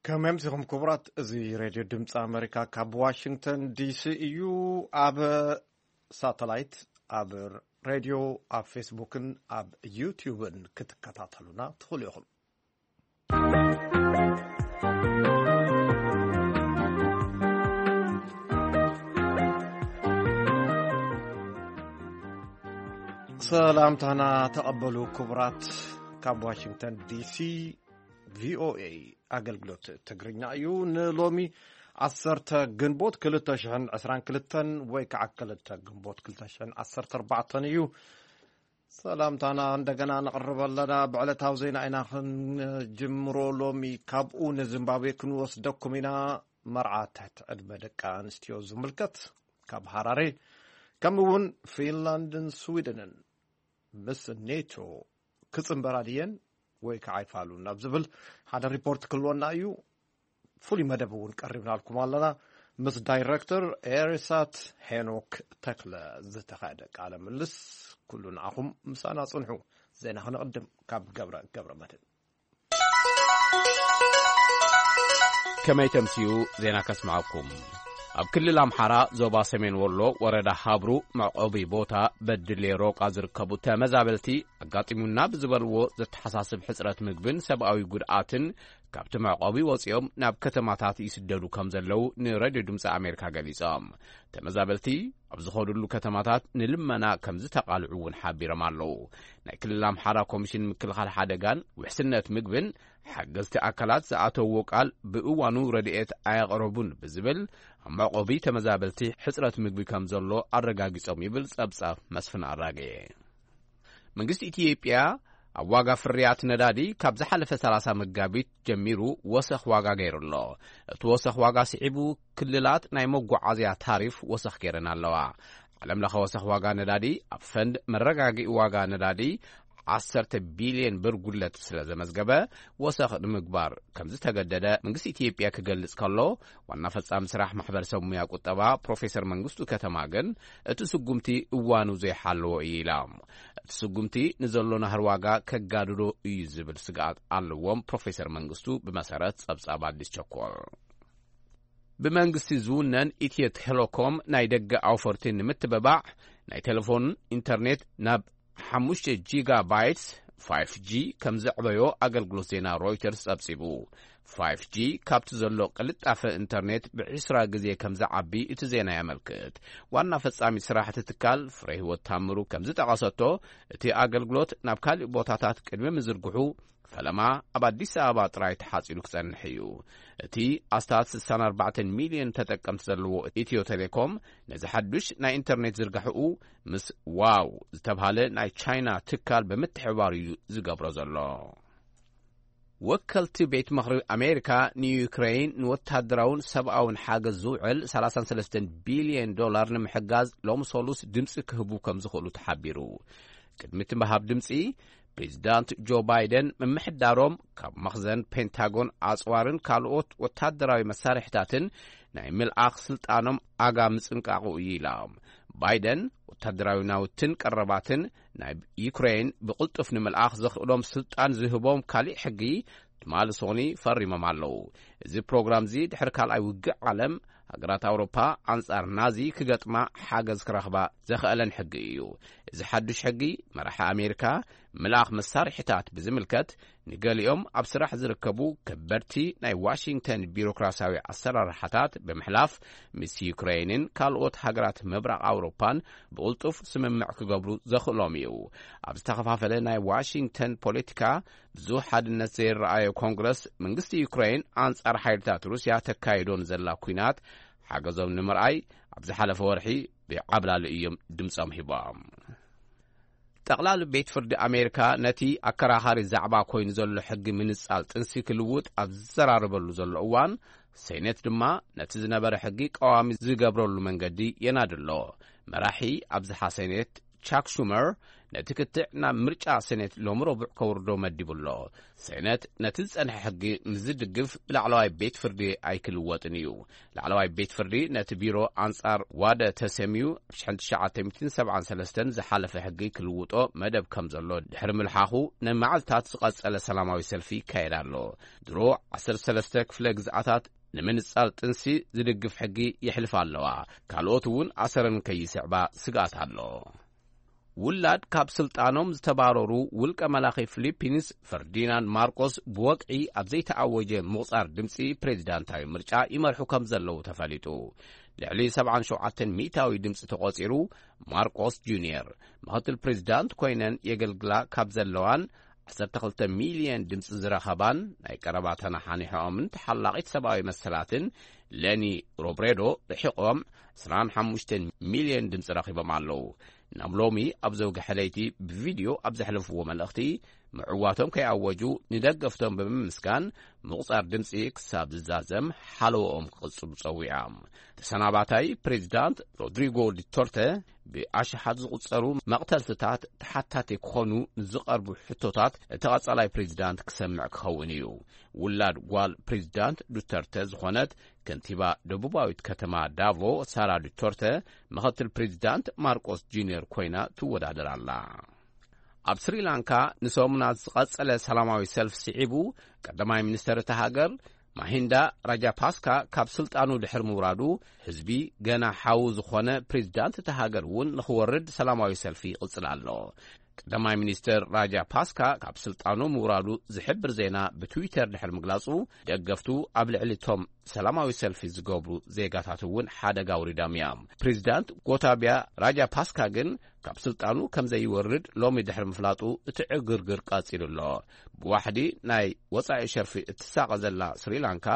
ከመይ ኣምሲኹም ክቡራት? እዚ ሬድዮ ድምፂ ኣመሪካ ካብ ዋሽንግተን ዲሲ እዩ። ኣብ ሳተላይት፣ ኣብ ሬድዮ፣ ኣብ ፌስቡክን ኣብ ዩቲዩብን ክትከታተሉና ትኽእሉ ኢኹም። ሰላምታና ተቐበሉ ክቡራት። ካብ ዋሽንግተን ዲሲ ቪኦኤ ኣገልግሎት ትግርኛ እዩ። ንሎሚ ዓሰርተ ግንቦት ክልተ ሽሕን ዕስራን ክልተን ወይ ከዓ ክልተ ግንቦት ክልተ ሽሕን ዓሰርተ ኣርባዕተን እዩ። ሰላምታና እንደገና ነቕርብ ኣለና። ብዕለታዊ ዜና ኢና ክንጅምሮ ሎሚ። ካብኡ ንዚምባብዌ ክንወስደኩም ኢና። መርዓ ትሕቲ ዕድመ ደቂ ኣንስትዮ ዝምልከት ካብ ሃራሬ፣ ከምኡ እውን ፊንላንድን ስዊድንን ምስ ኔቶ ክጽንበራ ድየን ወይ ከዓ ኣይፋሉን ኣብ ዝብል ሓደ ሪፖርት ክህልወና እዩ። ፍሉይ መደብ እውን ቀሪብናልኩም ኣለና። ምስ ዳይሬክተር ኤሪሳት ሄኖክ ተክለ ዝተኻየደ ቃለ ምልስ። ኩሉ ንዓኹም ምሳና ጽንሑ። ዜና ክንቕድም ካብ ገብረ ገብረ መድህን። ከመይ ተምስዩ ዜና ከስምዓኩም። ኣብ ክልል ኣምሓራ ዞባ ሰሜን ወሎ ወረዳ ሃብሩ መዕቆቢ ቦታ በድሌ ሮቃ ዝርከቡ ተመዛበልቲ ኣጋጢሙና ብዝበልዎ ዘተሓሳስብ ሕጽረት ምግብን ሰብኣዊ ጉድኣትን ካብቲ መዕቆቢ ወጺኦም ናብ ከተማታት ይስደዱ ከም ዘለዉ ንሬድዮ ድምፂ ኣሜሪካ ገሊጾም። ተመዛበልቲ ኣብ ዝኸድሉ ከተማታት ንልመና ከም ዝተቓልዑ እውን ሓቢሮም ኣለዉ። ናይ ክልል ኣምሓራ ኮሚሽን ምክልኻል ሓደጋን ውሕስነት ምግብን ሓገዝቲ ኣካላት ዝኣተውዎ ቃል ብእዋኑ ረድኤት ኣየቕረቡን ብዝብል ኣብ መዕቆቢ ተመዛበልቲ ሕጽረት ምግቢ ከም ዘሎ ኣረጋጊጾም ይብል ጸብጻብ መስፍን ኣራጌ። መንግስቲ ኢትዮጵያ ኣብ ዋጋ ፍርያት ነዳዲ ካብ ዝሓለፈ ሰላሳ መጋቢት ጀሚሩ ወሰኽ ዋጋ ገይሩ ኣሎ። እቲ ወሰኽ ዋጋ ስዒቡ ክልላት ናይ መጓዓዝያ ታሪፍ ወሰኽ ገይረን ኣለዋ። ዓለም ለኸ ወሰኽ ዋጋ ነዳዲ ኣብ ፈንድ መረጋጊኢ ዋጋ ነዳዲ ዓሰርተ ቢልዮን ብር ጉድለት ስለ ዘመዝገበ ወሰኽ ንምግባር ከም ዝተገደደ መንግስቲ ኢትዮጵያ ክገልጽ ከሎ፣ ዋና ፈጻሚ ስራሕ ማሕበረሰብ ሙያ ቁጠባ ፕሮፌሰር መንግስቱ ከተማ ግን እቲ ስጉምቲ እዋኑ ዘይሓለዎ እዩ ኢላ። እቲ ስጉምቲ ንዘሎ ናህሪ ዋጋ ከጋድዶ እዩ ዝብል ስግኣት ኣለዎም ፕሮፌሰር መንግስቱ ብመሰረት ጸብጻብ ኣዲስ ቸኮል። ብመንግስቲ ዝውነን ኢትዮ ቴሌኮም ናይ ደገ ኣውፈርቲ ንምትብባዕ ናይ ቴሌፎን ኢንተርኔት ናብ ሓሙሽተ ጂጋ ባይትስ ፋይፍ ጂ ከም ዘዕበዮ ኣገልግሎት ዜና ሮይተርስ ጸብጺቡ። ፋይፍ ጂ ካብቲ ዘሎ ቅልጣፈ ኢንተርኔት ብዒስራ ግዜ ከም ዝዓቢ እቲ ዜና የመልክት። ዋና ፈጻሚ ስራሕ እቲ ትካል ፍሬህይወት ታምሩ ከም ዝጠቐሰቶ፣ እቲ ኣገልግሎት ናብ ካልእ ቦታታት ቅድሚ ምዝርግሑ ፈለማ ኣብ ኣዲስ ኣበባ ጥራይ ተሓጺሩ ክጸንሕ እዩ። እቲ ኣስታት ስሳን ኣርባዕተን ሚልዮን ተጠቀምቲ ዘለዎ ኢትዮ ቴሌኮም ነዚ ሓዱሽ ናይ ኢንተርኔት ዝርጋሕኡ ምስ ዋው ዝተብሃለ ናይ ቻይና ትካል ብምትሕብባር እዩ ዝገብሮ ዘሎ። ወከልቲ ቤት ምኽሪ ኣሜሪካ ንዩክሬን ንወታደራውን ሰብኣውን ሓገዝ ዝውዕል ሰላሳን ሰለስተን ቢልዮን ዶላር ንምሕጋዝ ሎም ሰሉስ ድምፂ ክህቡ ከም ዝኽእሉ ተሓቢሩ። ቅድሚ እቲ ምሃብ ድምፂ ፕሬዚዳንት ጆ ባይደን ምምሕዳሮም ካብ መኽዘን ፔንታጎን ኣፅዋርን ካልኦት ወታደራዊ መሳርሕታትን ናይ ምልኣኽ ስልጣኖም ኣጋ ምፅንቃቑ እዩ ኢላ። ባይደን ወታደራዊ ናውትን ቀረባትን ናይ ዩክሬን ብቕልጡፍ ንምልኣኽ ዘኽእሎም ስልጣን ዝህቦም ካሊእ ሕጊ ትማሊ ሶኒ ፈሪሞም ኣለዉ። እዚ ፕሮግራም እዚ ድሕሪ ካልኣይ ውግእ ዓለም ሃገራት ኣውሮፓ ኣንጻር ናዚ ክገጥማ ሓገዝ ክረኽባ ዘኽእለን ሕጊ እዩ። እዚ ሓዱሽ ሕጊ መራሒ ኣሜሪካ ምልኣኽ መሳርሒታት ብዝምልከት ንገሊኦም ኣብ ስራሕ ዝርከቡ ከበድቲ ናይ ዋሽንግተን ቢሮክራሲያዊ ኣሰራርሓታት ብምሕላፍ ምስ ዩክሬንን ካልኦት ሃገራት ምብራቕ ኣውሮፓን ብቕልጡፍ ስምምዕ ክገብሩ ዘኽእሎም እዩ። ኣብ ዝተኸፋፈለ ናይ ዋሽንግተን ፖለቲካ ብዙሕ ሓድነት ዘይረኣዮ ኮንግረስ መንግስቲ ዩክሬን ኣንጻር ሓይልታት ሩስያ ተካይዶ ንዘላ ኲናት ሓገዞም ንምርኣይ ኣብ ዝሓለፈ ወርሒ ብዓብላሊ እዮም ድምጾም ሂቦም። ጠቕላሊ ቤት ፍርዲ ኣሜሪካ ነቲ ኣከራኻሪ ዛዕባ ኮይኑ ዘሎ ሕጊ ምንጻል ጥንሲ ክልውጥ ኣብ ዝዘራረበሉ ዘሎ እዋን፣ ሴኔት ድማ ነቲ ዝነበረ ሕጊ ቀዋሚ ዝገብረሉ መንገዲ የናድሎ። መራሒ ኣብዝሓ ሴኔት ቻክ ሹመር ነቲ ክትዕ ናብ ምርጫ ሴኔት ሎሚ ረቡዕ ከውርዶ መዲቡ ኣሎ። ሴኔት ነቲ ዝጸንሐ ሕጊ ምስ ዝድግፍ ብላዕለዋይ ቤት ፍርዲ ኣይክልወጥን እዩ። ላዕለዋይ ቤት ፍርዲ ነቲ ቢሮ ኣንጻር ዋደ ተሰምዩ ብ ትሽዓተ ሚእትን ሰብዓን ሰለስተን ዝሓለፈ ሕጊ ክልውጦ መደብ ከም ዘሎ ድሕሪ ምልሓኹ ንመዓልታት ዝቐጸለ ሰላማዊ ሰልፊ ይካየድ ኣሎ። ድሮ ዓሰርተ ሰለስተ ክፍለ ግዝኣታት ንምንጻል ጥንሲ ዝድግፍ ሕጊ ይሕልፋ ኣለዋ። ካልኦት እውን ኣሰረን ከይስዕባ ስግኣት ኣሎ። ውላድ ካብ ስልጣኖም ዝተባረሩ ውልቀ መላኺ ፊሊፒንስ ፈርዲናንድ ማርቆስ ብወግዒ ኣብ ዘይተኣወጀ ምቑጻር ድምፂ ፕሬዚዳንታዊ ምርጫ ይመርሑ ከም ዘለዉ ተፈሊጡ። ልዕሊ ሰብዓን ሸውዓተን ሚእታዊ ድምፂ ተቖጺሩ። ማርቆስ ጁኒየር ምኽትል ፕሬዚዳንት ኮይነን የገልግላ ካብ ዘለዋን ዓሰርተ ክልተ ሚልዮን ድምፂ ዝረኸባን ናይ ቀረባ ተነሓኒሖኦምን ተሓላቒት ሰብኣዊ መሰላትን ለኒ ሮብሬዶ ርሒቖም ዕስራን ሓሙሽተን ሚልዮን ድምፂ ረኺቦም ኣለዉ። ናብ ሎሚ ኣብ ዘውግሐ ለይቲ ብቪድዮ ኣብ ዘሕለፍዎ መልእኽቲ፣ ምዕዋቶም ከይኣወጁ ንደገፍቶም ብምምስጋን ምቑጻር ድምፂ ክሳብ ዝዛዘም ሓለዎኦም ክቕጽሉ ጸዊዖም። ተሰናባታይ ፕሬዚዳንት ሮድሪጎ ዱተርተ ብኣሽሓት ዝቑጸሩ መቕተልትታት ተሓታቲ ክኾኑ ንዝቐርቡ ሕቶታት እቲ ቀጻላይ ፕሬዚዳንት ክሰምዕ ክኸውን እዩ። ውላድ ጓል ፕሬዚዳንት ዱተርተ ዝኾነት ከንቲባ ደቡባዊት ከተማ ዳቮ ሳራ ዱተርተ ምኽትል ፕሬዚዳንት ማርቆስ ጁኒየር ኮይና ትወዳደር ኣላ። ኣብ ስሪላንካ ንሰሙናት ዝቐጸለ ሰላማዊ ሰልፍ ስዒቡ፣ ቀዳማይ ሚኒስተር እታ ሃገር ማሂንዳ ራጃፓስካ ካብ ስልጣኑ ድሕሪ ምውራዱ፣ ህዝቢ ገና ሓው ዝኾነ ፕሬዚዳንት እታ ሃገር እውን ንኽወርድ ሰላማዊ ሰልፊ ይቕጽል ኣሎ። ቀዳማይ ሚኒስተር ራጃፓስካ ካብ ስልጣኑ ምውራዱ ዝሕብር ዜና ብትዊተር ድሕሪ ምግላጹ፣ ደገፍቱ ኣብ ልዕሊ እቶም ሰላማዊ ሰልፊ ዝገብሩ ዜጋታት እውን ሓደጋ ኣውሪዶም እዮም። ፕሬዚዳንት ጎታቢያ ራጃፓስካ ግን ካብ ስልጣኑ ከም ዘይወርድ ሎሚ ድሕሪ ምፍላጡ እቲ ዕግርግር ቀጺሉ ኣሎ። ብዋሕዲ ናይ ወጻኢ ሸርፊ እትሳቐ ዘላ ስሪላንካ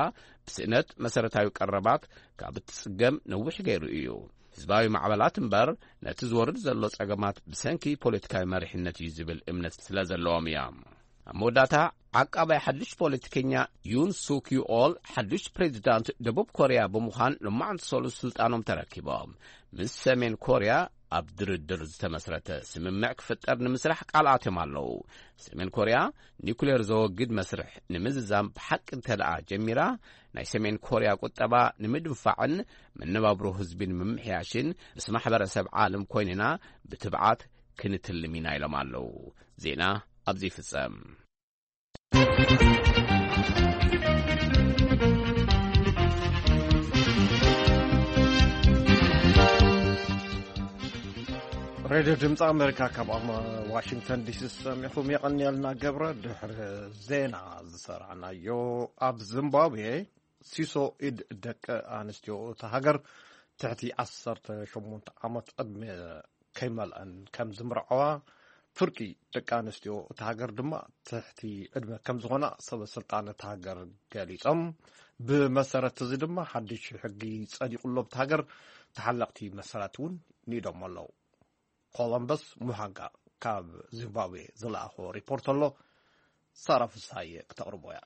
ብስእነት መሰረታዊ ቀረባት ካብ እትጽገም ነዊሕ ገይሩ እዩ። ህዝባዊ ማዕበላት እምበር ነቲ ዝወርድ ዘሎ ጸገማት ብሰንኪ ፖለቲካዊ መሪሕነት እዩ ዝብል እምነት ስለ ዘለዎም እዮም። ኣብ መወዳእታ ዓቃባይ ሓድሽ ፖለቲከኛ ዩን ሱክ ዩኦል ሓድሽ ፕሬዚዳንት ደቡብ ኮርያ ብምዃን ሎማዕንቲ ሰሉስ ስልጣኖም ተረኪቦም። ምስ ሰሜን ኮርያ ኣብ ድርድር ዝተመስረተ ስምምዕ ክፍጠር ንምስራሕ ቃል ኣትዮም ኣለዉ። ሰሜን ኮርያ ኒኩሌር ዘወግድ መስርሕ ንምዝዛም ብሓቂ እንተ ደኣ ጀሚራ፣ ናይ ሰሜን ኮርያ ቁጠባ ንምድንፋዕን መነባብሮ ህዝቢ ንምምሕያሽን ምስ ማሕበረሰብ ዓለም ኮይንና ብትብዓት ክንትልም ኢና ኢሎም ኣለዉ። ዜና ኣብዚ ይፍጸም። ሬድዮ ድምፂ ኣሜሪካ ካብ ኣማ-፣ ዋሽንግተን ዲሲ ዝሰሚዕኹም የቐንየልና ገብረ። ድሕሪ ዜና ዝሰራዕናዮ፣ ኣብ ዚምባብዌ ሲሶ ኢድ ደቂ ኣንስትዮ እታ ሃገር ትሕቲ ዓሰርተ ሸሞንተ ዓመት ዕድመ ከይመልአን ከም ዝምርዓዋ፣ ፍርቂ ደቂ ኣንስትዮ እታ ሃገር ድማ ትሕቲ ዕድመ ከም ዝኾና ሰበ ስልጣን እታ ሃገር ገሊጾም። ብመሰረት እዚ ድማ ሓድሽ ሕጊ ጸዲቑ ኣሎ። ኣብታ ሃገር ተሓለቕቲ መሰላት እውን ንኢዶም ኣለዉ። ኮሎምበስ ሙሃንጋ ካብ ዚምባብዌ ዝለኣኾ ሪፖርት ኣሎ። ሳራ ፍስሃየ ክተቕርቦ እያ።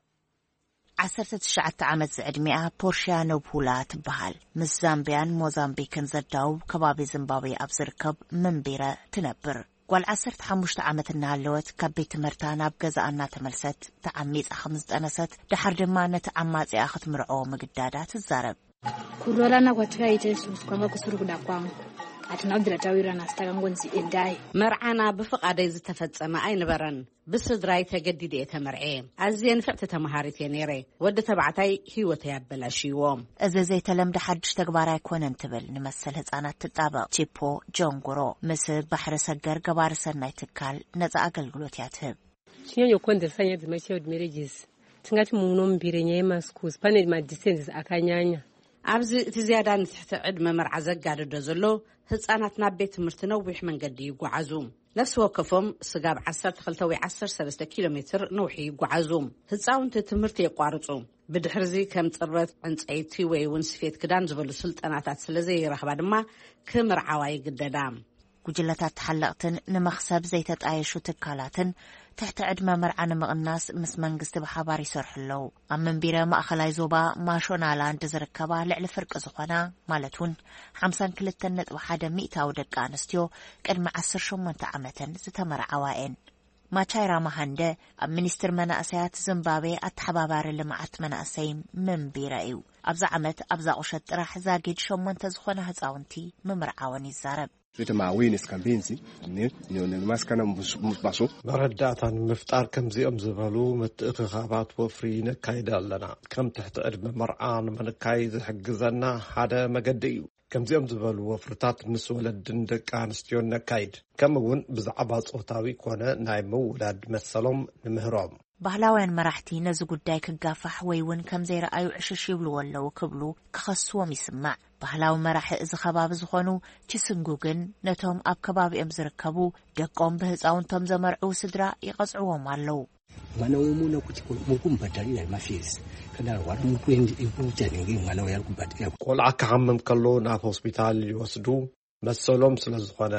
ዓሰርተ ትሽዓተ ዓመት ዝዕድሚኣ ፖርሽያ ኖብሁላ ትበሃል። ምስ ዛምቢያን ሞዛምቢክን ዘዳውብ ከባቢ ዚምባብዌ ኣብ ዝርከብ መንቤረ ትነብር። ጓል ዓሰርተ ሓሙሽተ ዓመት እናሃለወት ካብ ቤት ትምህርታ ናብ ገዛኣ እናተመልሰት ተዓሚጻ ከም ዝጠነሰት፣ ደሓር ድማ ነቲ ዓማጺኣ ክትምርዖ ምግዳዳ ትዛረብ። Kurwala na kwatakaita isusu kwanga kusiri kuda kwangu. Hatina kubvira tawirana asi takangonzi endai. መርዓና ብፍቓደይ ዝተፈጸመ ኣይነበረን። ብስድራይ ተገዲደ እየ ተመርዐ። ኣዝየ ንፍዕቲ ተመሃሪት እየ ነይረ። ወዲ ተባዕታይ ህይወተይ ኣበላሽይዎ። እዚ ዘይተለምደ ሓድሽ ተግባር ኣይኮነን ትብል ንመሰል ህጻናት ትጣበቕ ቺፖ ጆንጉሮ ምስ ባሕሪ ሰገር ገባሪ ሰናይ ትካል ነጻ ኣገልግሎት እያ ትህብ። Tinyanyokukonzeresa nyaya dzemachild marriages, tingati muno mumbire nyaya yemaschools pane madistances akanyanya. ኣብዚ እቲ ዝያዳ ንትሕቲ ዕድመ መርዓ ዘጋድዶ ዘሎ ህጻናት ናብ ቤት ትምህርቲ ነዊሕ መንገዲ ይጓዓዙ። ነፍሲ ወከፎም ስጋብ ዓሰርተ ክልተ ወይ ዓሰርተ ሰለስተ ኪሎ ሜትር ነውሒ ይጓዓዙ። ህጻውንቲ ትምህርቲ የቋርጹ። ብድሕርዚ ከም ጽርበት ዕንጸይቲ ወይ እውን ስፌት ክዳን ዝበሉ ስልጠናታት ስለ ዘይረኽባ ድማ ክምርዓዋ ይግደዳ። ጉጅለታት ተሓለቕትን ንመኽሰብ ዘይተጣየሹ ትካላትን ትሕቲ ዕድመ መርዓ ንምቕናስ ምስ መንግስቲ ብሓባር ይሰርሑ ኣለዉ። ኣብ መንቢረ ማእኸላይ ዞባ ማሾናላንድ ዝርከባ ልዕሊ ፍርቂ ዝኾና፣ ማለት እውን ሓምሳን ክልተን ነጥቢ ሓደ ሚእታዊ ደቂ ኣንስትዮ ቅድሚ ዓሰርተ ሸሞንተ ዓመተን ዝተመርዓዋ እየን። ማቻይራ ማሃንደ ኣብ ሚኒስትር መናእሰያት ዝምባብዌ ኣተሓባባሪ ልምዓት መናእሰይ መንቢረ እዩ። ኣብዚ ዓመት ኣብዛ ቁሸት ጥራሕ ዛጊድ ሸሞንተ ዝኾና ህፃውንቲ ምምርዓወን ይዛረብ። Vita mawini sikambinzi ne ne ne maskana mbusu mbasu መረዳእታ ንምፍጣር ከምዚኦም ዝበሉ ምትእኽኻባት ወፍሪ ነካይድ ኣለና። ከም ትሕቲ ዕድመ መርዓ ንምንካይ ዝሕግዘና ሓደ መገዲ እዩ። ከምዚኦም ዝበሉ ወፍርታት ምስ ወለድን ደቂ ኣንስትዮን ነካይድ። ከምኡ እውን ብዛዕባ ጾታዊ ኮነ ናይ ምውላድ መሰሎም ንምህሮም። ባህላውያን መራሕቲ ነዚ ጉዳይ ክጋፋሕ ወይ እውን ከም ዘይረኣዩ ዕሽሽ ይብልዎ ኣለዉ ክብሉ ክኸስዎም ይስማዕ። ባህላዊ መራሒ እዚ ከባቢ ዝኾኑ ቺስንጉ ግን ነቶም ኣብ ከባቢኦም ዝርከቡ ደቆም ብህፃውንቶም ዘመርዕዉ ስድራ ይቐፅዕዎም ኣለዉ። Mwana w'omunaku tiko mukumbadalira mafees kadala wali mukwendi ikutanenge mwana we ali kubadalira. ቆልዓ ክሓምም ከሎ ናብ ሆስፒታል ይወስዱ፣ መሰሎም ስለ ዝኾነ።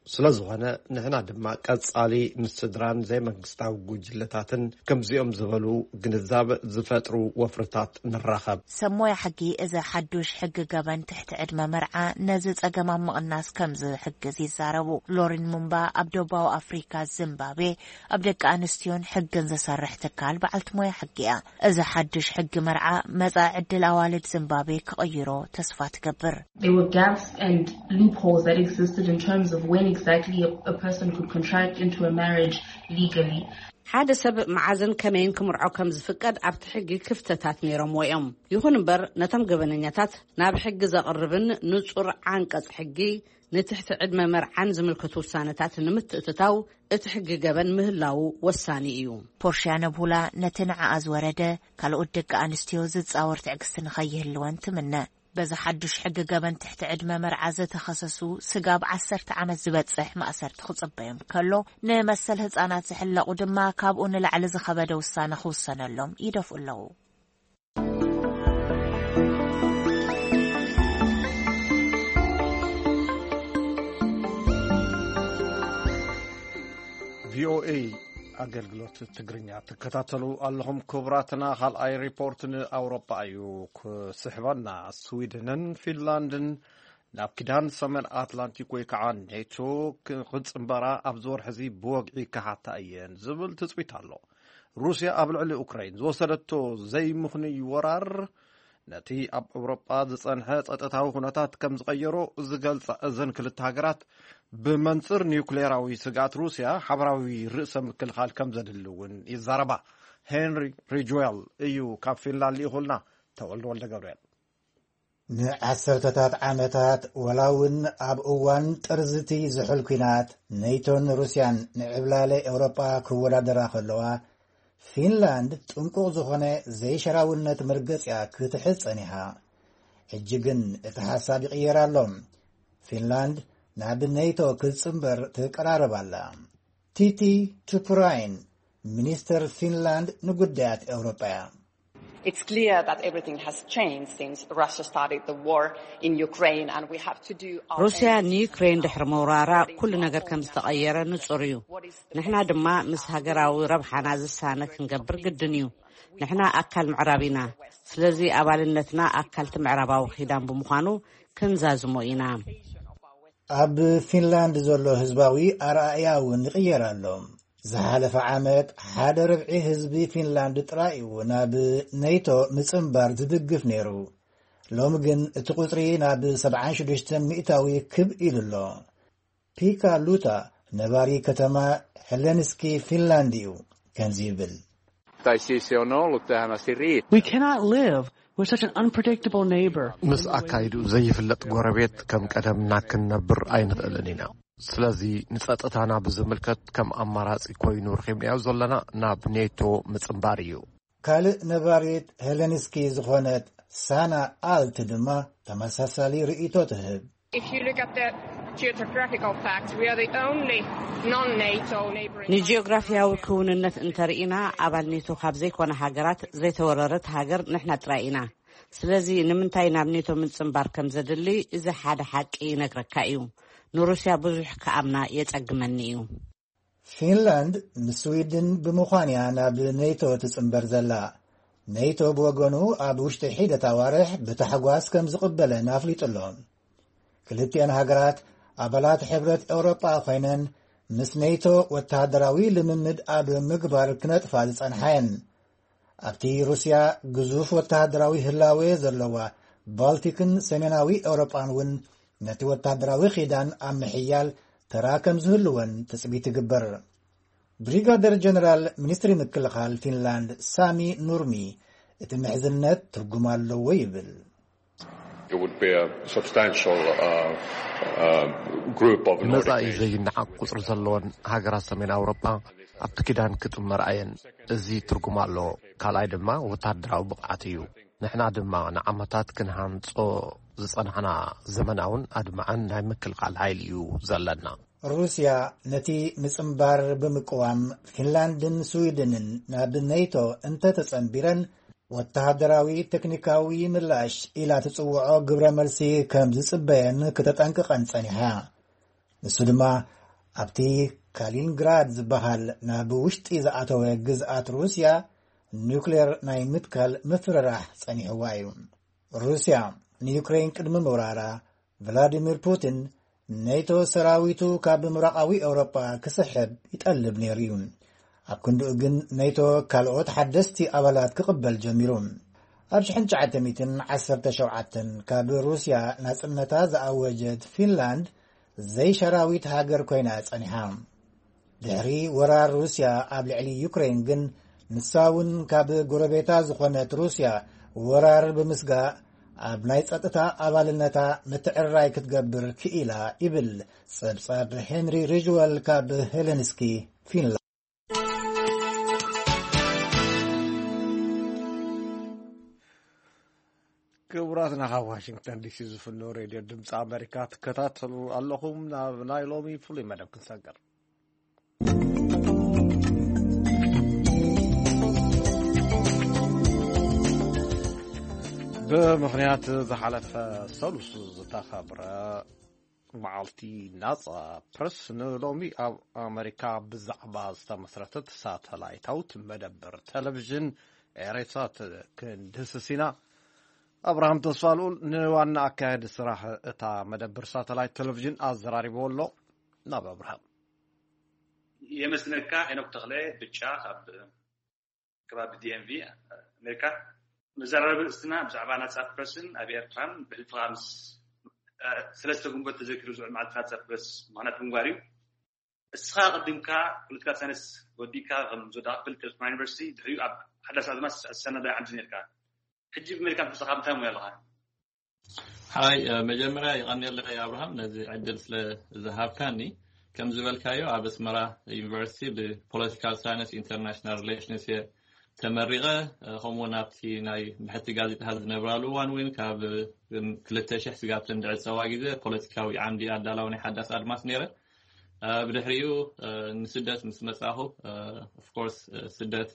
ስለ ዝኾነ ንሕና ድማ ቀጻሊ ምስ ስድራን ዘይመንግስታዊ ጉጅለታትን ከምዚኦም ዝበሉ ግንዛብ ዝፈጥሩ ወፍርታት ንራኸብ። ሰብ ሞያ ሕጊ እዚ ሓዱሽ ሕጊ ገበን ትሕቲ ዕድመ መርዓ ነዚ ጸገም ኣብ ምቕናስ ከም ዝሕግዝ ይዛረቡ። ሎሪን ሙምባ ኣብ ደቡባዊ ኣፍሪካ ዚምባብዌ ኣብ ደቂ ኣንስትዮን ሕግን ዝሰርሕ ትካል በዓልቲ ሞያ ሕጊ እያ። እዚ ሓዱሽ ሕጊ መርዓ መጻኢ ዕድል ኣዋልድ ዚምባብዌ ክቕይሮ ተስፋ ትገብር። There were gaps and loopholes that existed in terms of when exactly a, a person could contract into a marriage legally. ሓደ ሰብ መዓዝን ከመይን ክምርዖ ከም ዝፍቀድ ኣብቲ ሕጊ ክፍተታት ነይሮምዎ እዮም። ይኹን እምበር ነቶም ገበነኛታት ናብ ሕጊ ዘቕርብን ንጹር ዓንቀጽ ሕጊ ንትሕቲ ዕድመ መርዓን ዝምልከቱ ውሳነታት ንምትእትታው እቲ ሕጊ ገበን ምህላዉ ወሳኒ እዩ። ፖርሽያ ነብሁላ ነቲ ንዓኣ ዝወረደ ካልኦት ደቂ ኣንስትዮ ዝጻወር ትዕግስቲ ንኸይህልወን ትምነ። በዚ ሓዱሽ ሕጊ ገበን ትሕቲ ዕድመ መርዓ ዝተኸሰሱ ስጋብ ዓሰርተ ዓመት ዝበጽሕ ማእሰርቲ ክጽበዮም ከሎ፣ ንመሰል ህጻናት ዝሕለቑ ድማ ካብኡ ንላዕሊ ዝኸበደ ውሳነ ክውሰነሎም ይደፍኡ ኣለዉ። ቪኦኤ ኣገልግሎት ትግርኛ ትከታተሉ ኣለኹም። ክቡራትና፣ ካልኣይ ሪፖርት ንኣውሮጳ እዩ ክስሕበና። ስዊድንን ፊንላንድን ናብ ኪዳን ሰሜን ኣትላንቲክ ወይ ከዓ ኔቶ ክጽንበራ ኣብዚ ወርሒ እዚ ብወግዒ ክሓታ እየን ዝብል ትጽቢት ኣሎ። ሩስያ ኣብ ልዕሊ ኡክራይን ዝወሰደቶ ዘይምኽኑይ ወራር ነቲ ኣብ ኤውሮጳ ዝጸንሐ ጸጥታዊ ኩነታት ከም ዝቐየሮ ዝገልጻ እዘን ክልተ ሃገራት፣ ብመንጽር ኒውክሌራዊ ስግኣት ሩስያ ሓበራዊ ርእሰ ምክልኻል ከም ዘድሊ እውን ይዛረባ። ሄንሪ ሪጅዌል እዩ ካብ ፊንላንድ ልኢኹልና። ተወልደ ወልደ ገብርኤል። ንዓሰርተታት ዓመታት፣ ወላ እውን ኣብ እዋን ጥርዝቲ ዝሑል ኲናት፣ ኔቶን ሩስያን ንዕብላለ ኤውሮጳ ክወዳደራ ከለዋ፣ ፊንላንድ ጥንቁቕ ዝኾነ ዘይሸራውነት መርገጽ እያ ክትሕዝ ጸኒሓ። ሕጂ ግን እቲ ሓሳብ ይቕየር ኣሎ። ፊንላንድ ናብ ኔቶ ክትጽንበር ትቀራረብ ኣላ። ቲቲ ቱፕራይን፣ ሚኒስተር ፊንላንድ ንጉዳያት ኤውሮጳ እያ። It's clear that everything has changed since Russia started the war in Ukraine, and we have to do our ሩስያ own ንዩክሬን ድሕሪ ምውራራ ኩሉ ነገር ከም ዝተቐየረ ንጹር እዩ። ንሕና ድማ ምስ ሃገራዊ ረብሓና ዝሳነ ክንገብር ግድን እዩ። ንሕና ኣካል ምዕራብ ኢና። ስለዚ ኣባልነትና ኣካልቲ ምዕራባዊ ኪዳን ብምዃኑ ክንዛዝሞ ኢና። ኣብ ፊንላንድ ዘሎ ህዝባዊ ኣረኣእያ እውን ይቕየር ኣሎ። ዝሓለፈ ዓመት ሓደ ርብዒ ህዝቢ ፊንላንድ ጥራይ እዩ ናብ ኔቶ ምጽንባር ዝድግፍ ነይሩ። ሎሚ ግን እቲ ቁጽሪ ናብ ሰብዓን ሽዱሽተን ሚእታዊ ክብ ኢሉ ኣሎ። ፒካ ሉታ ነባሪ ከተማ ሄለንስኪ ፊንላንድ እዩ። ከምዚ ይብል። Tai siis on ollut tähän asti riittävä. We cannot live with such an unpredictable neighbor. ምስ ኣካይዱ ዘይፍለጥ ጎረቤት ከም ቀደምና ክንነብር ኣይንኽእልን ኢና። ስለዚ ንጸጥታና ብዝምልከት ከም ኣማራጺ ኮይኑ ረኺብናዮ ዘለና ናብ ኔቶ ምጽንባር እዩ። ካልእ ነባሪት ሄለንስኪ ዝኾነት ሳና ኣልት ድማ ተመሳሳሊ ርእይቶ ትህብ። If you look at the geographical facts, we are the only non-NATO neighboring ንጂኦግራፊያዊ ክውንነት እንተርኢና፣ ኣባል ኔቶ ካብ ዘይኮነ ሃገራት ዘይተወረረት ሃገር ንሕና ጥራይ ኢና። ስለዚ ንምንታይ ናብ ኔቶ ምጽንባር ከም ዘድሊ እዚ ሓደ ሓቂ ይነግረካ እዩ። ንሩስያ ብዙሕ ክኣምና የጸግመኒ እዩ። ፊንላንድ ንስዊድን ብምዃን እያ ናብ ኔቶ ትጽንበር ዘላ። ኔቶ ብወገኑ ኣብ ውሽጢ ሒደት ኣዋርሕ ብታሕጓስ ከም ዝቕበለን ኣፍሊጡ ኣሎ። ክልቲአን ሃገራት ኣባላት ሕብረት ኤውሮጳ ኮይነን ምስ ኔቶ ወተሃደራዊ ልምምድ ኣብ ምግባር ክነጥፋ ዝጸንሓ እየን። ኣብቲ ሩስያ ግዙፍ ወተሃደራዊ ህላዌ ዘለዋ ባልቲክን ሰሜናዊ ኤውሮጳን እውን ነቲ ወተሃደራዊ ኺዳን ኣብ ምሕያል ተራ ከም ዝህልወን ትጽቢት ይግበር። ብሪጋደር ጀነራል ሚኒስትሪ ምክልኻል ፊንላንድ ሳሚ ኑርሚ እቲ ምሕዝነት ትርጉም ኣለዎ ይብል። It would be a substantial uh, uh, group of Nordic ንመጻኢ nations. ዘይነዓቕ ቁጽሪ ዘለወን ሃገራት ሰሜን ኣውሮጳ ኣብቲ ኪዳን ክጥመራ እየን። እዚ ትርጉም ኣለዎ። ካልኣይ ድማ ወታደራዊ ብቕዓት እዩ። ንሕና ድማ ንዓመታት ክንሃንጾ ዝጸናሕና ዘመናውን ኣድማዕን ናይ ምክልኻል ሓይሊ እዩ ዘለና። ሩስያ ነቲ ምጽንባር ብምቅዋም ፊንላንድን ስዊድንን ናብ ኔቶ እንተተጸንቢረን ወተሃደራዊ ቴክኒካዊ ምላሽ ኢላ ትጽውዖ ግብረ መልሲ ከም ዝጽበየን ክተጠንቅቐን ጸኒሓ። ንሱ ድማ ኣብቲ ካሊንግራድ ዝበሃል ናብ ውሽጢ ዝኣተወ ግዝኣት ሩስያ ኒውክሌር ናይ ምትካል ምፍርራሕ ጸኒሕዋ እዩ። ሩስያ ንዩክሬን ቅድሚ ምውራራ ቭላዲሚር ፑቲን ኔቶ ሰራዊቱ ካብ ምብራቓዊ ኤውሮጳ ክስሕብ ይጠልብ ነይሩ እዩ። ኣብ ክንድኡ ግን ኔቶ ካልኦት ሓደስቲ ኣባላት ክቕበል ጀሚሩ። ኣብ ሽሕን ትሽዓተ ሚእትን ዓሰርተ ሸውዓተን ካብ ሩስያ ናጽነታ ዝኣወጀት ፊንላንድ ዘይሸራዊት ሃገር ኮይና ጸኒሓ። ድሕሪ ወራር ሩስያ ኣብ ልዕሊ ዩክሬን ግን ንሳ እውን ካብ ጎረቤታ ዝኾነት ሩስያ ወራር ብምስጋእ ኣብ ናይ ጸጥታ ኣባልነታ ምትዕርራይ ክትገብር ክኢላ ይብል ጸብጻብ ሄንሪ ሪጅወል ካብ ሄለንስኪ ፊንላንድ። ክቡራትና ካብ ዋሽንግተን ዲሲ ዝፍኖ ሬድዮ ድምፂ ኣሜሪካ ትከታተሉ ኣለኹም። ናብ ናይ ሎሚ ፍሉይ መደብ ክንሰገር። ብምኽንያት ዝሓለፈ ሰሉስ ዝተኸብረ መዓልቲ ናፃ ፕረስ ንሎሚ ኣብ ኣሜሪካ ብዛዕባ ዝተመስረተት ሳተላይታዊት መደብር ቴሌቪዥን ኤሬሳት ክንድህስስ ኢና። ኣብርሃም ተስፋልኡል ንዋና ኣካያዲ ስራሕ እታ መደብር ሳተላይት ቴሌቪዥን ኣዘራሪብዎ ኣሎ። ናብ ኣብርሃም። የመስግነካ ሄኖክ ተኽለ ብጫ ካብ ከባቢ ዲኤምቪ ኣሜሪካ። መዘራረቢ ርእስትና ብዛዕባ ናጻ ፕረስን ኣብ ኤርትራን ብሕልፍኻ ምስ ሰለስተ ግንቦት ተዘኪሩ ዝውዕል መዓልቲ ናጻ ፕረስ ምኽንያት ምግባር እዩ። እስኻ ኣቐዲምካ ፖለቲካል ሳይንስ ወዲእካ ከም ዝወዳእካ ክፈልጥ እየ፣ ዩኒቨርሲቲ ድሕሪኡ ኣብ ሓዳስ ኣድማስ ዝሰነዳይ ዓምዲ ነርካ። ሕጂ ብመልክዕ ኣንበሳኻ እንታይ ሞያ ኣለኻ? ሓይ መጀመርያ ይቐንየለይ ኣብርሃም ነዚ ዕድል ስለ ዝሃብካኒ። ከም ዝበልካዮ ኣብ ኣስመራ ዩኒቨርሲቲ ብፖለቲካል ሳይንስ ኢንተርናሽናል ሪሌሽንስ እየ ተመሪቐ። ከምኡውን ኣብቲ ናይ ብሕቲ ጋዜጣ ዝነብራሉ እዋን እውን ካብ ክልተ ሽሕ ስጋብ ተንድዕፀዋ ግዜ ፖለቲካዊ ዓምዲ ኣዳላዊ ናይ ሓዳስ ኣድማስ ነይረ። ብድሕሪኡ ንስደት ምስ መጻኹ ኦፍኮርስ ስደት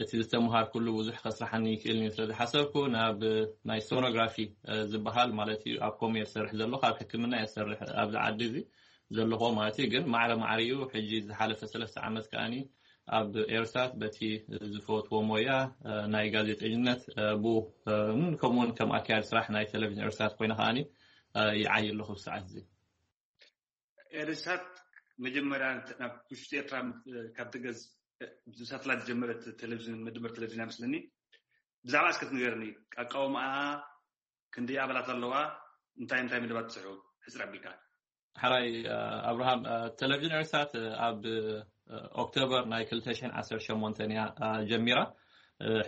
እቲ ዝተምሃርኩሉ ብዙሕ ከስራሓኒ ይክእል እዩ ስለ ዝሓሰብኩ ናብ ናይ ሶኖግራፊ ዝበሃል ማለት እዩ ኣብ ኮሜር ዝሰርሕ ዘለኹ ኣብ ሕክምና እየ ዝሰርሕ ኣብዚ ዓዲ እዚ ዘለኹ ማለት እዩ። ግን ማዕረ ማዕሪኡ ሕጂ ዝሓለፈ ሰለስተ ዓመት ከኣኒ ኣብ ኤርሳት በቲ ዝፈትዎ ሞያ ናይ ጋዜጠኝነት ብኡ ከምኡውን ከም ኣካያዲ ስራሕ ናይ ቴሌቪዥን ኤርሳት ኮይነ ከኣኒ ይዓይ ኣለኹ ብሰዓት እዚ። ኤርሳት መጀመርያ ናብ ውሽጢ ኤርትራ ካብ ትገዝ ብሳተላይት ዝጀመረት ቴሌቪዥን መደበር ቴሌቪዥን ይመስለኒ። ብዛዕባ እስከ ትንገርኒ፣ ኣቃውማኣ ክንደይ ኣባላት ኣለዋ፣ እንታይ እንታይ መደባት ትስሑ ሕፅር ኣቢልካ። ሓራይ ኣብርሃም ቴሌቪዥን ኤርሳት ኣብ ኦክቶበር ናይ ክልተ ሽሕን ዓሰርተ ሸሞንተን እያ ጀሚራ።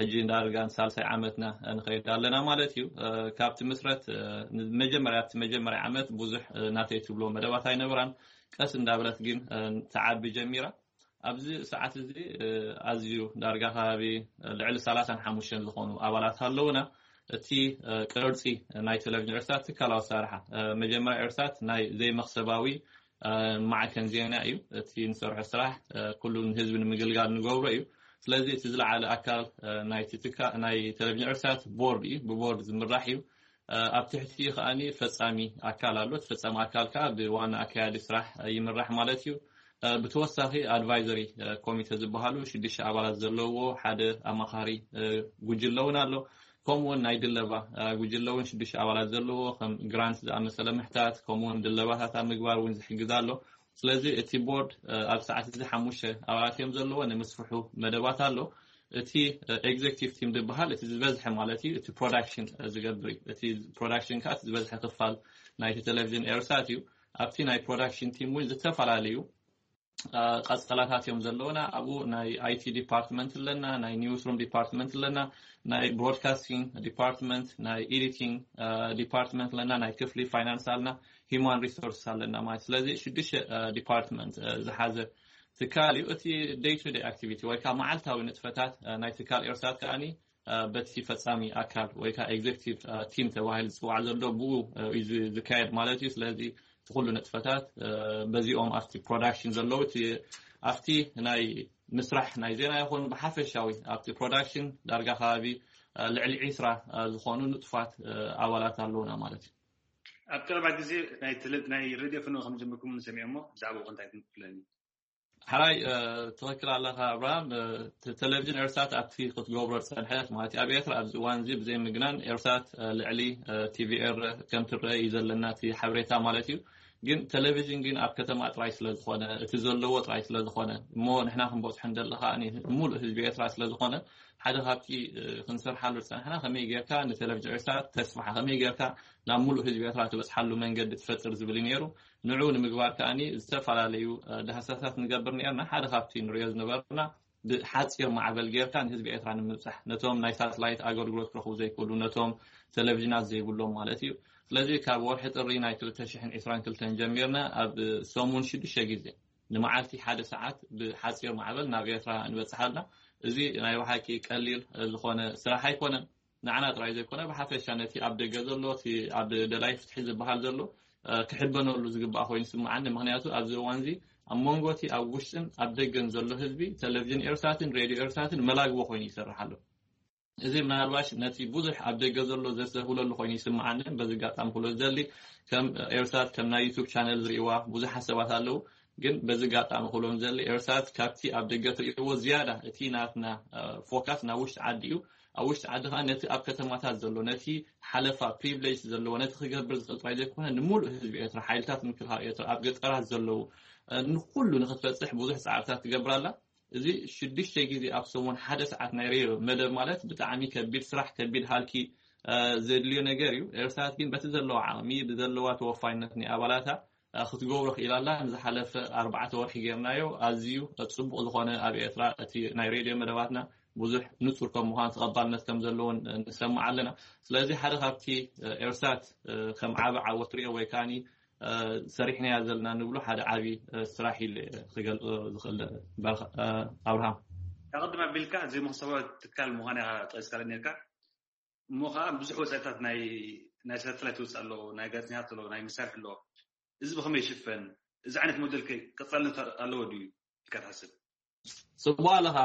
ሕጂ ዳርጋ ንሳልሳይ ዓመትና ንኸይድ ኣለና ማለት እዩ። ካብ ትምስረት መጀመርያ ኣብቲ መጀመርያ ዓመት ብዙሕ ናተይ ትብሎ መደባት ኣይነበራን። ቀስ እንዳበለት ግን ትዓቢ ጀሚራ። ኣብዚ ሰዓት እዚ ኣዝዩ ዳርጋ ከባቢ ልዕሊ ሰላሳን ሓሙሽተን ዝኾኑ ኣባላት ኣለውና። እቲ ቅርጺ ናይ ቴሌቪዥን ኤርትራ ትካላዊ ኣሰራርሓ መጀመርያ ኤርትራ ናይ ዘይመኽሰባዊ ማዕከን ዜና እዩ። እቲ ንሰርሖ ስራሕ ኩሉ ንህዝቢ ንምግልጋል ንገብሮ እዩ። ስለዚ እቲ ዝለዓለ ኣካል ናይ ቴሌቪዥን ኤርትራ ቦርድ እዩ፣ ብቦርድ ዝምራሕ እዩ። ኣብ ትሕቲ ከኣ ፈጻሚ ኣካል ኣሎ። እቲ ፈጻሚ ኣካል ከኣ ብዋና ኣካያዲ ስራሕ ይምራሕ ማለት እዩ። ብተወሳኺ ኣድቫይዘሪ ኮሚቴ ዝበሃሉ ሽዱሽተ ኣባላት ዘለዎ ሓደ ኣማኻሪ ጉጅለ እውን ኣሎ። ከምኡውን ናይ ድለባ ጉጅለ እውን ሽዱሽተ ኣባላት ዘለዎ ከም ግራንት ዝኣመሰለ ምሕታት ከምኡውን ድለባታት ኣብ ምግባር እውን ዝሕግዝ ኣሎ። ስለዚ እቲ ቦርድ ኣብ ሰዓት እዚ ሓሙሽተ ኣባላት እዮም ዘለዎ። ንምስፍሑ መደባት ኣሎ። እቲ ኤግዜክቲቭ ቲም ዝበሃል እቲ ዝበዝሐ ማለት እዩ፣ እቲ ፕሮዳክሽን ዝገብር እዩ። እቲ ፕሮዳክሽን ከዓ ዝበዝሐ ክፋል ናይቲ ቴሌቪዥን ኤርሳት እዩ። ኣብቲ ናይ ፕሮዳክሽን ቲም እውን ዝተፈላለዩ ቀጸላታት እዮም ዘለውና። ኣብኡ ናይ ኣይቲ ዲፓርትመንት ኣለና፣ ናይ ኒውስሩም ዲፓርትመንት ኣለና፣ ናይ ብሮድካስቲንግ ዲፓርትመንት፣ ናይ ኤዲቲንግ ዲፓርትመንት ኣለና፣ ናይ ክፍሊ ፋይናንስ ኣለና፣ ሂማን ሪሶርስ ኣለና ማለት። ስለዚ ሽዱሽተ ዲፓርትመንት ዝሓዘ ትካል እዩ። እቲ ደይ ቱ ደይ ኣክቲቪቲ ወይ ከዓ መዓልታዊ ንጥፈታት ናይ ትካል ኤርሳት ከዓኒ በቲ ፈጻሚ ኣካል ወይ ከዓ ኤግዜክቲቭ ቲም ተባሂሉ ዝፅዋዕ ዘሎ ብኡ እዩ ዝካየድ ማለት እዩ። ስለዚ እቲ ኩሉ ንጥፈታት በዚኦም ኣብቲ ፕሮዳክሽን ዘለዉ ኣብቲ ናይ ምስራሕ ናይ ዜና ይኹን ብሓፈሻዊ ኣብቲ ፕሮዳክሽን ዳርጋ ከባቢ ልዕሊ ዒስራ ዝኾኑ ንጡፋት ኣባላት ኣለውና ማለት እዩ። ኣብ ቀረባ ግዜ ናይ ሬድዮ ፍኖ ከም ጀምርኩም ንሰሚዖ እሞ ብዛዕባ እንታይ ትንክፍለኒ? ሓራይ ትኽክል ኣለኻ ኣብርሃም። ቴሌቪዥን ኤርሳት ኣብቲ ክትገብሮ ዝፀንሐት ማለት እዩ። ኣብ ኤርትራ ኣብዚ እዋን እዚ ብዘይ ምግናን ኤርሳት ልዕሊ ቲቪ ኤረ ከም ትረአ እዩ ዘለና እቲ ሓበሬታ ማለት እዩ። ግን ቴሌቪዥን ግን ኣብ ከተማ ጥራይ ስለዝኾነ እቲ ዘለዎ ጥራይ ስለዝኾነ እሞ ንሕና ክንበፅሖ እንደለኻ ሙሉእ ህዝቢ ኤርትራ ስለዝኾነ ሓደ ካብቲ ክንሰርሓሉ ዝፀናሕና ከመይ ጌርካ ንቴሌቪዥን ኤርትራ ተስፋሓ ከመይ ጌርካ ናብ ሙሉእ ህዝቢ ኤርትራ ትበፅሓሉ መንገዲ ትፈጥር ዝብል እዩ ነይሩ። ንዑ ንምግባር ከዓኒ ዝተፈላለዩ ዳህሳሳት ንገብር ነርና። ሓደ ካብቲ ንሪኦ ዝነበርና ብሓፂር ማዕበል ጌርካ ንህዝቢ ኤርትራ ንምብፃሕ ነቶም ናይ ሳትላይት ኣገልግሎት ክረኽቡ ዘይክእሉ ነቶም ቴሌቪዥናት ዘይብሎም ማለት እዩ። ስለዚ ካብ ወርሒ ጥሪ ናይ ክልተ ሽሕን ዕስራን ክልተን ጀሚርና ኣብ ሰሙን ሽዱሽተ ግዜ ንመዓልቲ ሓደ ሰዓት ብሓፂር ማዕበል ናብ ኤርትራ ንበፅሓልና። እዚ ናይ ብሓቂ ቀሊል ዝኾነ ስራሕ ኣይኮነን። ንዓና ጥራይ ዘይኮነ ብሓፈሻ ነቲ ኣብ ደገ ዘሎ እቲ ኣብ ደላይ ፍትሒ ዝበሃል ዘሎ ክሕበነሉ ዝግባእ ኮይኑ ይስምዓኒ። ምክንያቱ ኣብዚ እዋን እዚ ኣብ መንጎ እቲ ኣብ ውሽጥን ኣብ ደገን ዘሎ ህዝቢ ቴሌቪዥን ኤርሳትን ሬድዮ ኤርሳትን መላግቦ ኮይኑ ይሰርሕ ኣሎ። እዚ ምናልባሽ ነቲ ብዙሕ ኣብ ደገ ዘሎ ዘስተብህለሉ ኮይኑ ይስምዓኒ። በዚ ኣጋጣሚ ክሎ ዝደሊ ከም ኤርሳት ከም ናይ ዩቱብ ቻነል ዝርእይዋ ብዙሓት ሰባት ኣለዉ። ግን በዚ ኣጋጣሚ ክብሎም ዘለ ኤርሳት ካብቲ ኣብ ደገ ትርእይዎ ዝያዳ እቲ ናትና ፎካስ ናብ ውሽጢ ዓዲ እዩ። ኣብ ውሽጢ ዓዲ ከዓ ነቲ ኣብ ከተማታት ዘሎ ነቲ ሓለፋ ፕሪቪሌጅ ዘለዎ ነቲ ክገብር ዝኽእል ጥራይ ዘይኮነ ንሙሉእ ህዝቢ ኤርትራ ሓይልታት ምክልኻል ኤርትራ ኣብ ገጠራት ዘለዉ ንኩሉ ንክትበፅሕ ብዙሕ ፃዕርታት ትገብር ኣላ። እዚ ሽዱሽተ ግዜ ኣብ ሰሙን ሓደ ሰዓት ናይ ሬድዮ መደብ ማለት ብጣዕሚ ከቢድ ስራሕ ከቢድ ሃልኪ ዘድልዮ ነገር እዩ። ኤርሳት ግን በቲ ዘለዋ ዓቕሚ ብዘለዋ ተወፋይነት ናይ ኣባላታ ክትገብሮ ክኢላ ኣላ። ንዝሓለፈ ኣርባዕተ ወርሒ ጌርናዮ ኣዝዩ ፅቡቕ ዝኾነ ኣብ ኤርትራ እቲ ናይ ሬድዮ መደባትና ብዙሕ ንፁር ከም ምዃን ተቐባልነት ከም ዘለዎን ንሰምዕ ኣለና። ስለዚ ሓደ ካብቲ ኤርሳት ከም ዓቢ ዓወት ሪኦ ወይ ከዓኒ ሰሪሕናያ ዘለና ንብሎ ሓደ ዓቢ ስራሕ ኢለ ክገልፆ ዝኽእል። ኣብርሃም ኣቐድም ኣቢልካ ዘይመክሰባዊ ትካል ምዃን ኢኻ ጠቂስካለ ነርካ። እሞ ከዓ ብዙሕ ወፃኢታት ናይ ናይ ሳተላይት ወፃኢ ኣለዎ፣ ናይ ጋዜጠኛታት ኣለዎ፣ ናይ መሳርሒ ኣለዎ። እዚ ብኸመይ ይሽፈን? እዚ ዓይነት ሞዴል ከ ቀፃልነት ኣለዎ ድዩ ኢልካ ትሓስብ? ጽቡቕ ኣለኻ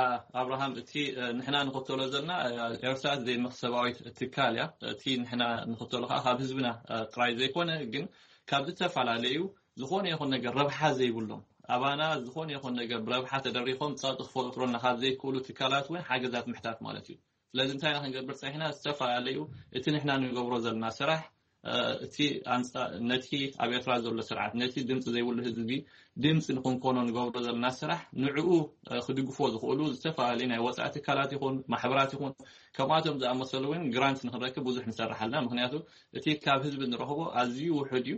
ኣብርሃም። እቲ ንሕና ንኽተሎ ዘለና ኤርትራ ዘይመኽሰባዊት ትካል እያ። እቲ ንሕና ንኽተሎ ከዓ ካብ ህዝብና ጥራይ ዘይኮነ ግን ካብ ዝተፈላለዩ ዝኾነ ይኹን ነገር ረብሓ ዘይብሎም ኣባና ዝኾነ ይኹን ነገር ብረብሓ ተደሪኾም ጸቕጢ ክፈጥሮና ካብ ዘይክእሉ ትካላት እውን ሓገዛት ምሕታት ማለት እዩ። ስለዚ እንታይ ኢና ክንገብር ጸኒሕና? ዝተፈላለዩ እቲ ንሕና ንገብሮ ዘለና ስራሕ እቲ ኣንጻ ነቲ ኣብ ኤርትራ ዘሎ ስርዓት ነቲ ድምፂ ዘይብሉ ህዝቢ ድምፂ ንክንኮኖ ንገብሮ ዘለና ስራሕ ንዕኡ ክድግፎ ዝኽእሉ ዝተፈላለዩ ናይ ወፃኢ ትካላት ይኹን ማሕበራት ይኹን ከምኣቶም ዝኣመሰሉ እውን ግራንት ንክንረክብ ብዙሕ ንሰርሕ ኣለና። ምክንያቱ እቲ ካብ ህዝቢ ንረኽቦ ኣዝዩ ውሑድ እዩ።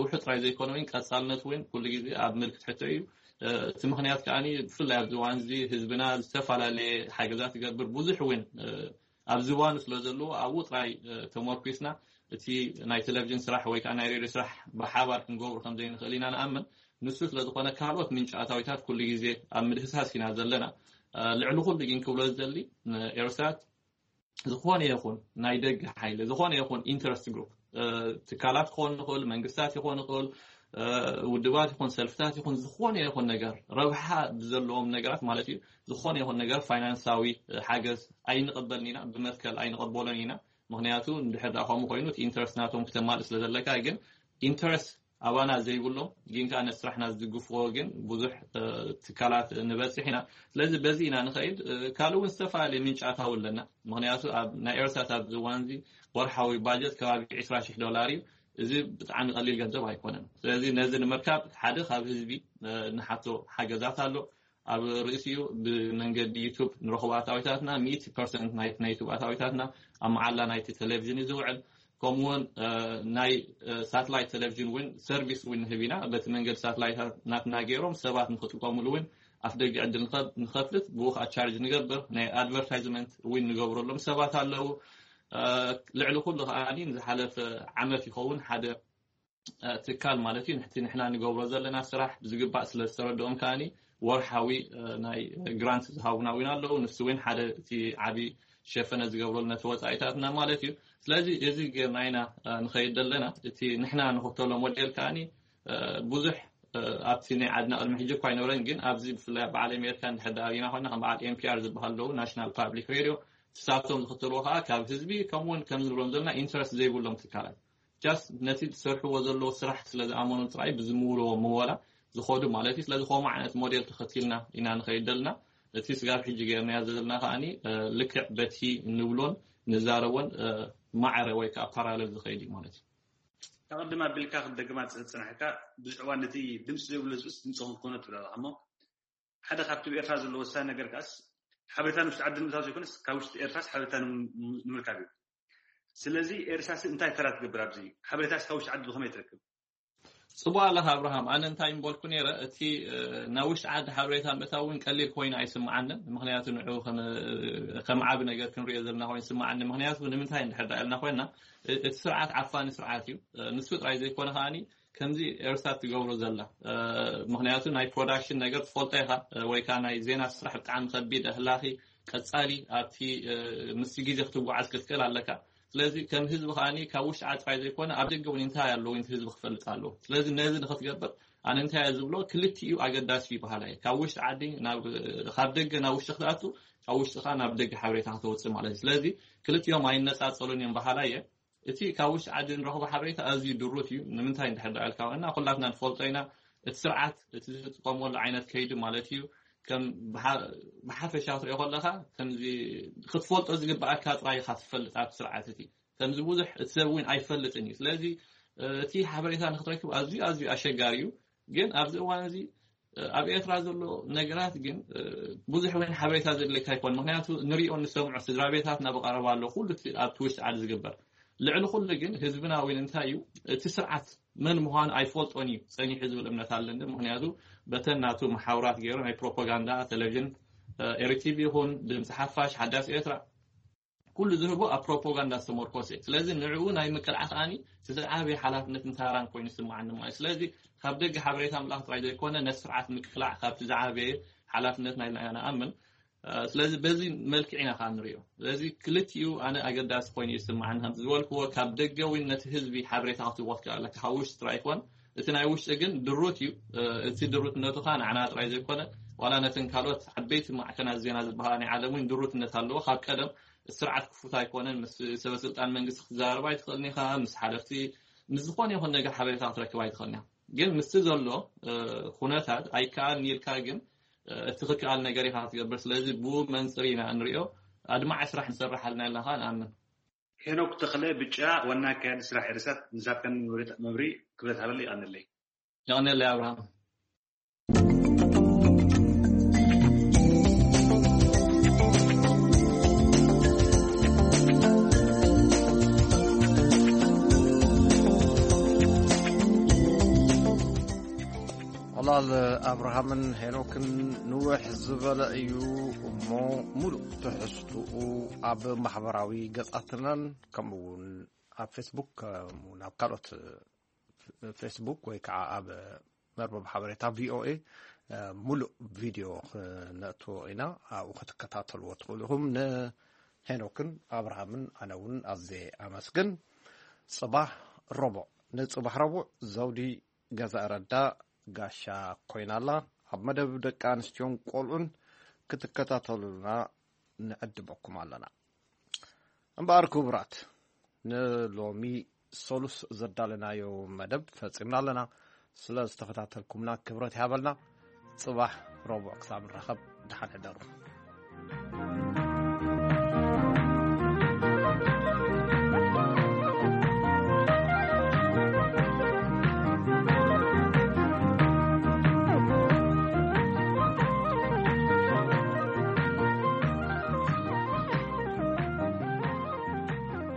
ውሑድ ጥራይ ዘይኮነ እውን ቀፃልነት እውን ኩሉ ግዜ ኣብ ምልክት ሕቶ እዩ። እቲ ምክንያት ከዓ ብፍላይ ኣብዚ እዋን እዚ ህዝብና ዝተፈላለየ ሓገዛት ይገብር ብዙሕ እውን ኣብዚ እዋኑ ስለ ዘለዎ ኣብኡ ጥራይ ተመርኩስና እቲ ናይ ቴሌቪዥን ስራሕ ወይ ከዓ ናይ ሬድዮ ስራሕ ብሓባር ክንገብሩ ከም ዘይንኽእል ኢና ንኣምን። ንሱ ስለ ዝኾነ ካልኦት ምንጪ ኣታዊታት ኩሉ ግዜ ኣብ ምድህሳስ ኢና ዘለና። ልዕሊ ኩሉ ግን ክብሎ ዝደሊ ኤርሳት ዝኾነ ይኹን ናይ ደገ ሓይሊ ዝኾነ ይኹን ኢንተረስት ግሩፕ ትካላት ክኾን ንኽእል መንግስታት ይኾን ይኽእል ውድባት ይኹን ሰልፍታት ይኹን ዝኾነ ይኹን ነገር ረብሓ ብዘለዎም ነገራት ማለት እዩ። ዝኾነ ይኹን ነገር ፋይናንሳዊ ሓገዝ ኣይንቕበልን ኢና፣ ብመትከል ኣይንቕበሎን ኢና። ምክንያቱ እንድሕር ዳ ከምኡ ኮይኑ እቲ ኢንተረስት ናቶም ክተማልእ ስለ ዘለካ ግን ኢንተረስት ኣባና ዘይብሎም ግን ከዓ ነቲ ስራሕና ዝድግፍዎ ግን ብዙሕ ትካላት ንበፅሕ ኢና። ስለዚ በዚ ኢና ንኸይድ። ካልእ እውን ዝተፈላለዩ ምንጫት ኣለና። ምክንያቱ ኣብ ናይ ኤርሳት ኣብዚ እዋን እዚ ወርሓዊ ባጀት ከባቢ ዕስራ ሽሕ ዶላር እዩ። እዚ ብጣዕሚ ቀሊል ገንዘብ ኣይኮነን። ስለዚ ነዚ ንምርካብ ሓደ ካብ ህዝቢ ንሓቶ ሓገዛት ኣሎ። ኣብ ርእሲኡ ብመንገዲ ዩቱብ ንረኽቦ ኣታዊታትና ሚእቲ ፐርሰንት ናይ ናይ ዩቱብ ኣታዊታትና ኣብ መዓላ ናይቲ ቴሌቪዥን እዩ ዝውዕል። ከምኡውን ናይ ሳትላይት ቴሌቪዥን እውን ሰርቪስ እውን ንህብ ኢና። በቲ መንገዲ ሳትላይት ናትና ገይሮም ሰባት ንክጥቀሙሉ እውን ኣፍ ደገ ዕድል ንኸፍት ብኡ ከዓ ቻርጅ ንገብር። ናይ ኣድቨርታይዝመንት እውን ንገብረሎም ሰባት ኣለዉ። ልዕሊ ኩሉ ከዓ ንዝሓለፈ ዓመት ይኸውን ሓደ ትካል ማለት እዩ ንሕቲ ንሕና ንገብሮ ዘለና ስራሕ ብዝግባእ ስለ ዝተረድኦም ከዓኒ ወርሓዊ ናይ ግራንት ዝሃቡና እውን ኣለዉ። ንሱ እውን ሓደ እቲ ዓብዪ ሸፈነ ዝገብረሉ ነቲ ወፃኢታትና ማለት እዩ። ስለዚ እዚ ጌርና ኢና ንኸይድ ዘለና። እቲ ንሕና ንኽተሎ ሞዴል ከዓኒ ብዙሕ ኣብቲ ናይ ዓድና ቅድሚ ሕጂ እኳ ኣይነበረን፣ ግን ኣብዚ ብፍላይ በዓል ኣሜሪካ እንድሕር ዳኣ ሪኢና ኮይና ከም በዓል ኤንፒኣር ዝበሃል ኣለዉ ናሽናል ፓብሊክ ሬድዮ ንሳቶም ዝኽተልዎ ከዓ ካብ ህዝቢ ከምኡውን ከም ዝብሎም ዘለና ኢንትረስት ዘይብሎም ትካላት just ነቲ ዝሰርሕዎ ዘለዉ ስራሕ ስለ ዝኣመኑ ጥራይ ብዝምውልዎ ምወላ ዝኸዱ ማለት እዩ። ስለዚ ከምኡ ዓይነት ሞዴል ተኸቲልና ኢና ንኸይድ ዘለና። እቲ ስጋብ ሕጂ ገይርናዮ ዘለና ከዓኒ ልክዕ በቲ ንብሎን ንዛረቦን ማዕረ ወይ ከዓ ፓራለል ዝኸይድ እዩ ማለት እዩ። ኣቐድም ኣቢልካ ክትደግማ ዝፅናሕካ ብዙሕ እዋን ነቲ ድምፂ ዘይብሉ ህዝብስ ድምፂ ክንኮኖ ትብል ኣለኻ እሞ ሓደ ካብቲ ብኤርትራ ዘሎ ወሳኒ ነገር ከዓስ ሓበሬታ ንውሽጢ ዓዲ ንምእታው ዘይኮነስ ካብ ውሽጢ ኤርትራስ ሓበሬታ ንምርካብ እዩ። ስለዚ ኤርትራስ እንታይ ተራ ትገብር ኣብዚ ሓበሬታስ ካብ ውሽጢ ዓዲ ብኸመይ ትረክብ? ጽቡቅ ኣለኻ ኣብርሃም። ኣነ እንታይ ምበልኩ ነይረ፣ እቲ ናብ ውሽጢ ዓዲ ሓበሬታ ምእታው እውን ቀሊል ኮይኑ ኣይስምዓንን። ምክንያቱ ንዑ ከም ዓቢ ነገር ክንሪኦ ዘለና ኮይኑ ይስምዓኒ። ምክንያቱ ንምንታይ እንድሕር ዳኣ ኢልና ኮይና እቲ ስርዓት ዓፋኒ ስርዓት እዩ። ንሱ ጥራይ ዘይኮነ ከዓኒ ከምዚ ኤርሳት ትገብሮ ዘላ ምክንያቱ ናይ ፕሮዳክሽን ነገር ትፈልጦ ኢኻ ወይ ከዓ ናይ ዜና ስራሕ ብጣዕሚ ከቢድ ኣህላኺ ቀጻሊ ኣብቲ ምስ ግዜ ክትጓዓዝ ክትክእል ኣለካ። ስለዚ ከም ህዝቢ ከዓኒ ካብ ውሽጢ ዓዲ ጥራይ ዘይኮነ ኣብ ደገ እውን እንታይ ኣለዉ እቲ ህዝቢ ክፈልጥ ኣለዎ። ስለዚ ነዚ ንክትገብር ኣነ እንታይ እየ ዝብሎ ክልቲኡ ኣገዳሲ እዩ በሃላይ እየ። ካብ ውሽጢ ዓዲ ካብ ደገ ናብ ውሽጢ ክትኣቱ ካብ ውሽጢ ከዓ ናብ ደገ ሓበሬታ ክተውፅእ ማለት እዩ። ስለዚ ክልቲኦም ኣይነፃፀሉን እዮም በሃላይ እየ። እቲ ካብ ውሽጢ ዓዲ ንረኽቦ ሓበሬታ ኣዝዩ ድሩት እዩ። ንምንታይ እንድሕር ዳኣ ኢልካ እና ኩላትና ንፈልጦ ኢና እቲ ስርዓት እቲ ዝጥቀመሉ ዓይነት ከይዲ ማለት እዩ ከም ብሓፈሻ ክትሪኦ ከለካ ከምዚ ክትፈልጦ ዝግብኣካ ጥራይ ኢካ ትፈልጥ ኣብቲ ስርዓት እቲ ከምዚ ብዙሕ እቲ ሰብ እውን ኣይፈልጥን እዩ። ስለዚ እቲ ሓበሬታ ንክትረክብ ኣዝዩ ኣዝዩ ኣሸጋሪ እዩ። ግን ኣብዚ እዋን እዚ ኣብ ኤርትራ ዘሎ ነገራት ግን ብዙሕ እውን ሓበሬታ ዘድለካ ኣይኮን። ምክንያቱ ንሪኦ ንሰምዖ ስድራ ቤታትና ብቀረባ ኣሎ ኩሉ ኣብቲ ውሽጢ ዓዲ ዝግበር ልዕሊ ኩሉ ግን ህዝብና እውን እንታይ እዩ እቲ ስርዓት መን ምዃኑ ኣይፈልጦን እዩ ጸኒሑ ዝብል እምነት ኣለኒ። ምክንያቱ በተን ናቱ መሓውራት ገይሩ ናይ ፕሮፓጋንዳ ቴሌቪዥን ኤሪቲቪ ይኹን ድምፂ ሓፋሽ ሓዳስ ኤርትራ ኩሉ ዝህቦ ኣብ ፕሮፓጋንዳ ዝተመርኮሰ እዩ። ስለዚ ንዕኡ ናይ ምቅላዕ ከዓኒ እቲ ዝዓበየ ሓላፍነትን ታራን ኮይኑ ይስምዓኒ ማለት እዩ። ስለዚ ካብ ደገ ሓበሬታ ምልኣኽ ጥራይ ዘይኮነ ነቲ ስርዓት ምቅላዕ ካብቲ ዝዓበየ ሓላፍነትና ኢልና ኢና ንኣምን። ስለዚ በዚ መልክዕ ኢና ከዓ ንሪኦ። ስለዚ ክልቲኡ ኣነ ኣገዳሲ ኮይኑ ይስምዓኒ ከምቲ ዝበልክዎ ካብ ደገ እውን ነቲ ህዝቢ ሓበሬታ ክትህቦ ትክእል ኣለካ ካብ ውሽጢ ጥራይ ኣይኮን። እቲ ናይ ውሽጢ ግን ድሩት እዩ። እቲ ድሩትነቱ ከዓ ንዓና ጥራይ ዘይኮነ ዋላ ነተን ካልኦት ዓበይቲ ማዕከናት ዜና ዝበሃላ ናይ ዓለም እውን ድሩትነት ኣለዎ። ካብ ቀደም ስርዓት ክፉት ኣይኮነን። ምስ ሰበስልጣን መንግስቲ ክትዛረብ ኣይትኽእልን ኢኻ። ምስ ሓለፍቲ ምስ ዝኾነ ይኹን ነገር ሓበሬታ ክትረክብ ኣይትኽእልን ኢኻ። ግን ምስቲ ዘሎ ኩነታት ኣይከኣልን ኢልካ ግን እቲ ክከኣል ነገር ኢኻ ክትገብር። ስለዚ ብኡ መንፅር ኢና ንሪኦ። ኣድማዒ ስራሕ ንሰርሕ ኣለና ኢልና ከዓ ንኣምን። ሄኖክ ተኽለ ብጫ ዋና ኣካያዲ ስራሕ ኤርሳት ንሳትካን መብሪ ክብረት ሃበለ ይቐንለይ። ይቐንለይ ኣብርሃም። ዕላል ኣብርሃምን ሄኖክን ንውሕ ዝበለ እዩ እሞ ሙሉእ ትሕዝትኡ ኣብ ማሕበራዊ ገጻትናን ከምኡ እውን ኣብ ፌስቡክ ከምኡ እውን ኣብ ካልኦት ፌስቡክ ወይ ከዓ ኣብ መርበብ ሓበሬታ ቪኦኤ ሙሉእ ቪድዮ ክነእትዎ ኢና። ኣብኡ ክትከታተልዎ ትኽእሉ ኢኹም። ንሄኖክን ኣብርሃምን ኣነ እውን ኣዝየ ኣመስግን። ፅባሕ ረቡዕ ንፅባሕ ረቡዕ ዘውዲ ገዛ ረዳ ጋሻ ኮይና ኣላ። ኣብ መደብ ደቂ ኣንስትዮን ቆልዑን ክትከታተሉና ንዕድመኩም ኣለና። እምበኣር ክቡራት ንሎሚ ሰሉስ ዘዳለናዮ መደብ ፈጺምና ኣለና። ስለ ዝተኸታተልኩምና ክብረት ይሃበልና። ጽባሕ ረቡዕ ክሳብ ንራኸብ፣ ደሓን ሕደሩ።